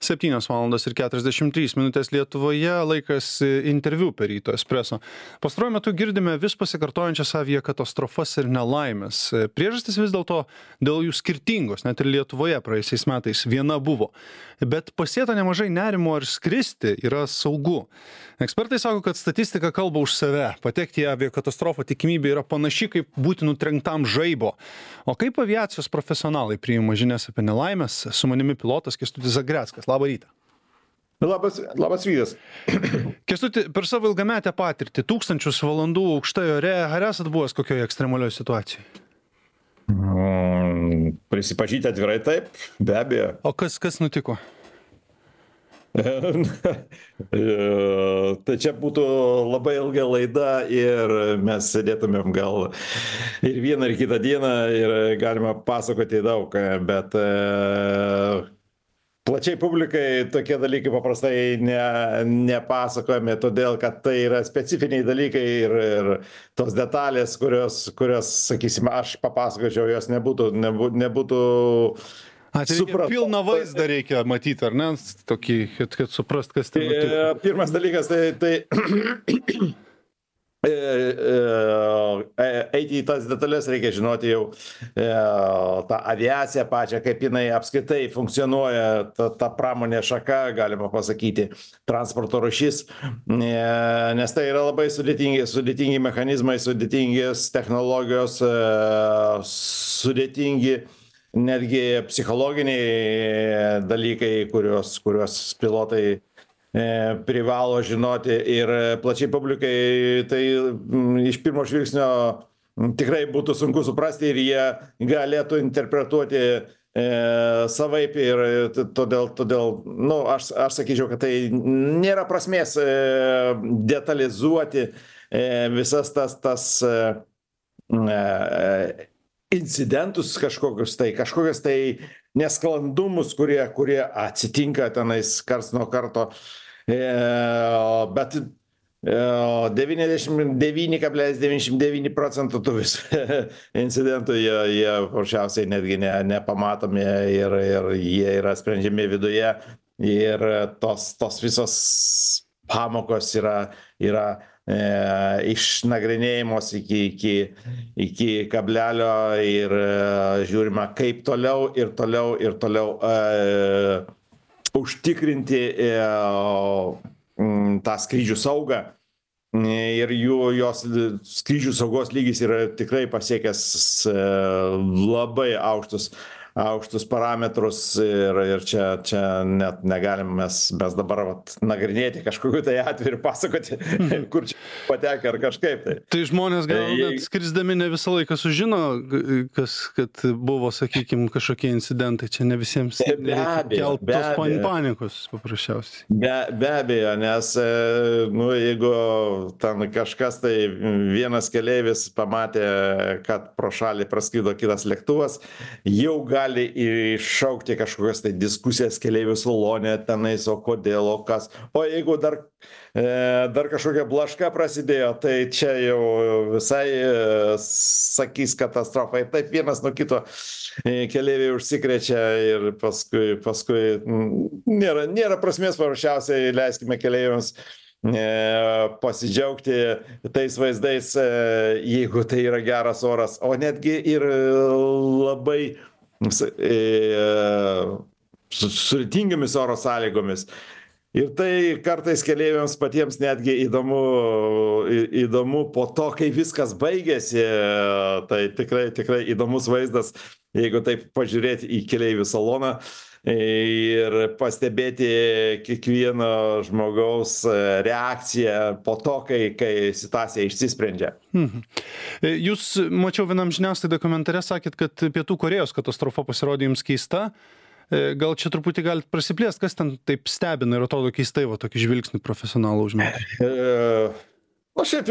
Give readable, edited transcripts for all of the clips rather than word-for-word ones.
7:43 Lietuvoje, laikas interviu per Ryto Espreso. Pastaruoju metu girdime vis pasikartojančias aviakatastrofas ir nelaimės. Priežastis vis dėlto dėl jų skirtingos, net ir Lietuvoje praėjusiais metais viena buvo. Bet pasėta nemažai nerimo ar skristi yra saugu. Ekspertai sako, kad statistika kalba už save. Patekti į aviakatastrofą tikimybė yra panaši kaip būti nutrenktam žaibo. O kaip aviacijos profesionalai priima žinias apie nelaimės? Su manimi pilotas Kęstutis Zagreckas. Labą rytą. Labas rytas. Kęstuti, per savo ilgametę patirtį, 1000 valandų aukštai ore, ar esat buvęs kokioje ekstremalioje situacijoje? Prisipažyti atvirai taip, be abejo. O kas nutiko? Tai čia būtų labai ilga laida ir mes sėdėtumėm gal ir vieną ir kitą dieną ir galima pasakoti daug, bet plačiai publikai tokie dalykai paprastai nepasakojami, todėl kad tai yra specifiniai dalykai ir tos detalės, kurios sakysime, aš papasakočiau, jos nebūtų Pilną vaizdą reikia matyti, ar ne? Tokį, kad suprast, kas tai nutiko. Pirmas dalykas, tai eiti į tas detalės reikia žinoti jau tą aviaciją pačią, kaip jinai apskritai funkcionuoja, ta pramonė šaka, galima pasakyti, transporto rūšis, nes tai yra labai sudėtingi mechanizmai, sudėtingos technologijos, sudėtingi netgi psichologiniai dalykai, kuriuos pilotai privalo žinoti ir plačiai publikai tai iš pirmo žvilgsnio tikrai būtų sunku suprasti ir jie galėtų interpretuoti savaip ir todėl aš sakyčiau, kad tai nėra prasmės detalizuoti visas tas incidentus kažkokius tai nesklandumus, kurie atsitinka tenais karts nuo karto, bet 99,99% tų visų incidentų jie paprasčiausiai netgi nepamatomi ir jie yra sprendžiami viduje ir tos visos pamokos yra išnagrinėjimos iki kablelio ir žiūrima, kaip toliau užtikrinti tą skrydžių saugą. Ir jos skrydžių saugos lygis yra tikrai pasiekęs labai aukštus parametrus ir čia net negalim mes dabar nagrinėti kažkokiu tai atveju ir pasakoti, kur čia patekę ar kažkaip tai. Tai žmonės gal net skrisdami ne visą laiką sužino, kad buvo, sakykime, kažkokie incidentai. Čia ne visiems kelt tos panikos paprasčiausiai. Be abejo, nes jeigu ten kažkas tai vienas keleivis pamatė, kad pro šalį praskrido kitas lėktuvas, jau gali iššaukti kažkokias tai diskusijas keleivių salone tenais, o kodėl, o kas. O jeigu dar kažkokia blaška prasidėjo, tai čia jau visai sakys katastrofa. Ir taip vienas nuo kito keleiviai užsikrečia ir paskui nėra prasmės, paprasčiausiai leiskime keleiviams pasidžiaugti tais vaizdais, jeigu tai yra geras oras, o netgi ir labai sudėtingomis oro sąlygomis. Ir tai kartais keleiviams patiems netgi įdomu po to, kai viskas baigėsi, tai tikrai įdomus vaizdas, jeigu taip pažiūrėti į keleivių saloną ir pastebėti kiekvieno žmogaus reakciją po to, kai situacija išsisprendžia. Jūs, mačiau vienam žiniasklaidai komentare, sakėt, kad Pietų Korėjos katastrofa pasirodė jums keista. Gal čia truputį galite prasiplėsti, kas ten taip stebina ir atrodo keistai, tokį žvilgsnį profesionalų užmėti? Šiaip,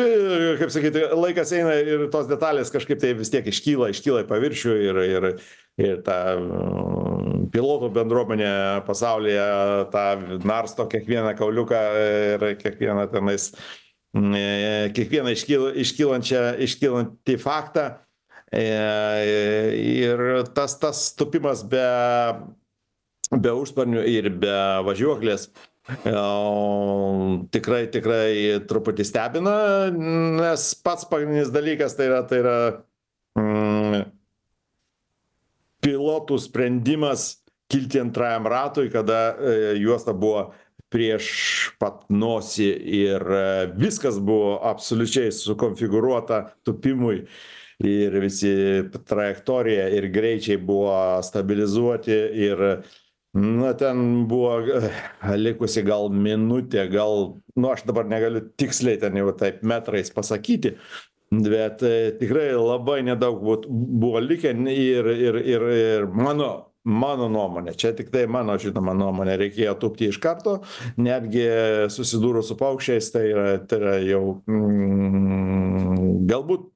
kaip sakyti, laikas eina ir tos detalės kažkaip tai vis tiek iškyla į paviršių ir ta pilotų bendruomenė pasaulyje tą narsto kiekvieną kauliuką ir kiekvieną iškylantį faktą. Ir tas tupimas be be užsparnių ir be važiuoklės. Tikrai truputį stebina, nes pats pagrindinis dalykas tai yra pilotų sprendimas kilti antrajam ratui, kada juosta buvo prieš pat nosį ir viskas buvo absoliučiai sukonfigūruota tupimui ir visi trajektorija ir greičiai buvo stabilizuoti ir ten buvo likusi gal minutė, aš dabar negaliu tiksliai ten jau taip metrais pasakyti, bet tikrai labai nedaug buvo likę ir mano nuomonė, čia tik tai mano žinoma nuomonė, reikėjo tupti iš karto, netgi susidūrus su paukščiais, tai yra jau galbūt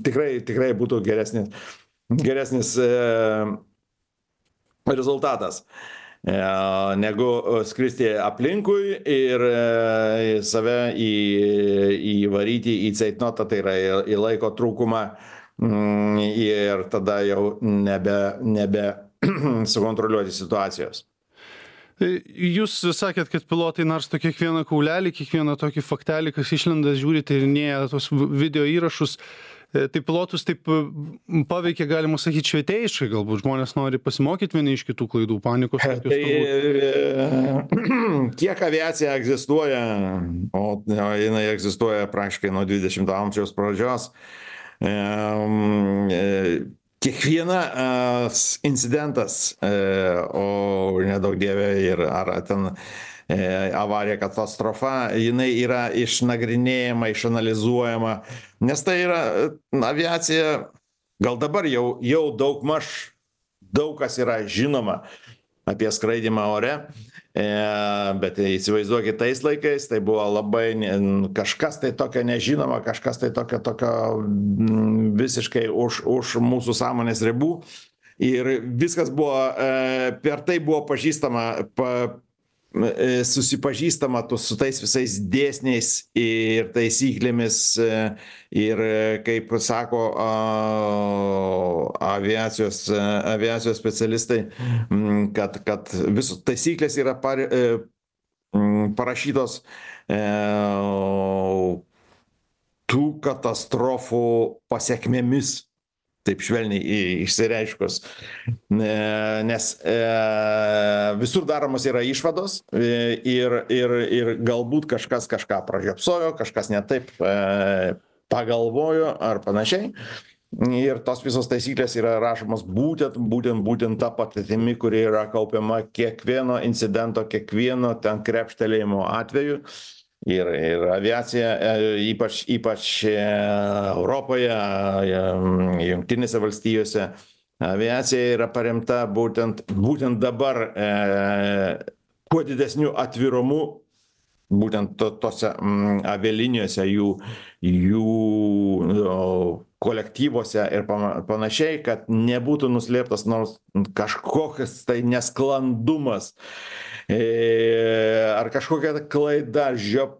tikrai būtų geresnis rezultatas negu skristi aplinkui ir save įvaryti į ceitnotą, tai yra į laiko trūkumą ir tada jau nebe sukontroliuoti situacijos. Jūs sakėt, kad pilotai narsto kiekvieną kaulelį, kiekvieną tokį faktelį, kas išlenda, žiūri, tyrinėja tos video įrašus. Tai pilotus taip paveikia, galima sakyti, švietėjiškai, galbūt žmonės nori pasimokyti vieni iš kitų klaidų, panikos. Kiek aviacija egzistuoja, o jinai egzistuoja praktiškai nuo 20 amžiaus pradžios, kiekvienas incidentas, o nedaug dievė ir ar ten avarija, katastrofa, jinai yra išnagrinėjama, išanalizuojama, nes tai yra aviacija, gal dabar jau daug kas yra žinoma apie skraidymą ore, bet įsivaizduokit tais laikais, tai buvo labai kažkas tai tokio nežinoma, kažkas tai tokio visiškai už mūsų sąmonės ribų ir viskas buvo, per tai buvo susipažįstama su tais visais dėsniais ir taisyklėmis ir, kaip sako aviacijos specialistai, kad visos taisyklės yra parašytos tų katastrofų pasekmėmis, taip švelniai išsireiškus, nes visur daromos yra išvados ir galbūt kažkas kažką pražiopsojo, kažkas ne taip pagalvojo ar panašiai. Ir tos visos taisyklės yra rašomos būtent tą patirtimi, kuri yra kaupiama kiekvieno incidento, kiekvieno ten krepštelėjimo atveju. Ir aviacija, ypač Europoje, Jungtinėse valstijose, aviacija yra paremta būtent dabar kuo didesniu atvirumu, būtent tose avialinijose, jų kolektyvuose ir panašiai, kad nebūtų nuslėptas nors kažkokias tai nesklandumas ar kažkokia klaida,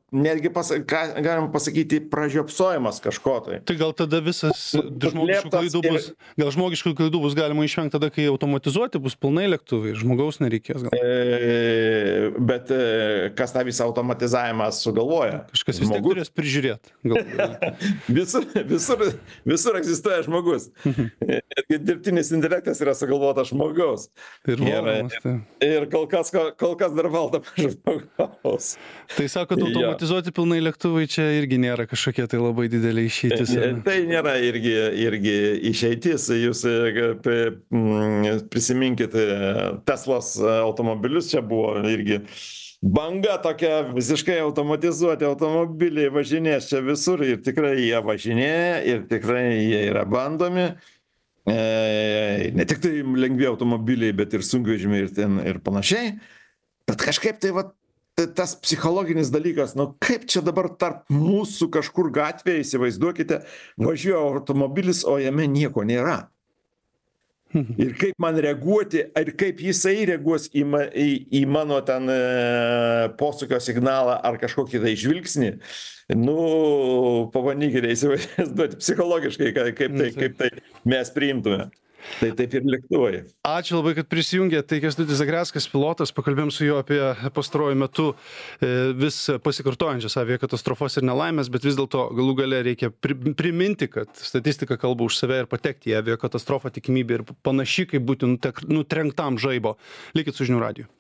netgi galim pasakyti pražiopsojimas kažko tai. Tai gal tada visas žmogiškų klaidų bus galima išvengti tada, kai automatizuoti bus pilnai lėktuvai, žmogaus nereikės gal. Bet kas tą visą automatizavimą sugalvoja? Kažkas vis tiek turės prižiūrėti. Visur egzistuoja žmogus. Dirbtinis intelektas yra sugalvotas žmogaus. Ir kol kas dar valdoma žmogaus. Tai sako, automatizuoti pilnai lėktuvai čia irgi nėra kažkokia tai labai didelė išeitis. Tai nėra irgi išeitis. Jūs prisiminkit Teslos automobilius, čia buvo irgi banga tokia, visiškai automatizuoti automobiliai važinės čia visur ir tikrai jie važinėja ir tikrai jie yra bandomi. Ne tik tai lengvi automobiliai, bet ir sunkvežimiai ir panašiai. Bet kažkaip tai tas psichologinis dalykas, kaip čia dabar tarp mūsų kažkur gatvėje, įsivaizduokite, važiuoja automobilis, o jame nieko nėra. Ir kaip man reaguoti, ir kaip jisai reaguos į mano ten posūkio signalą ar kažkokį tai žvilgsnį. Pabandykite įsivaizduoti psichologiškai, kaip tai mes priimtume. Tai taip ir lėktuvai. Ačiū labai, kad prisijungė. Tai Kęstutis Zagreckas, pilotas, pakalbėjom su juo apie pastaruoju metu vis pasikartojančias aviakatastrofas ir nelaimės, bet vis dėlto galų gale reikia priminti, kad statistika kalba už save ir patekti į aviakatastrofą tikimybė ir panaši, kaip būti nutrenktam žaibo. Likit su žinių radiju.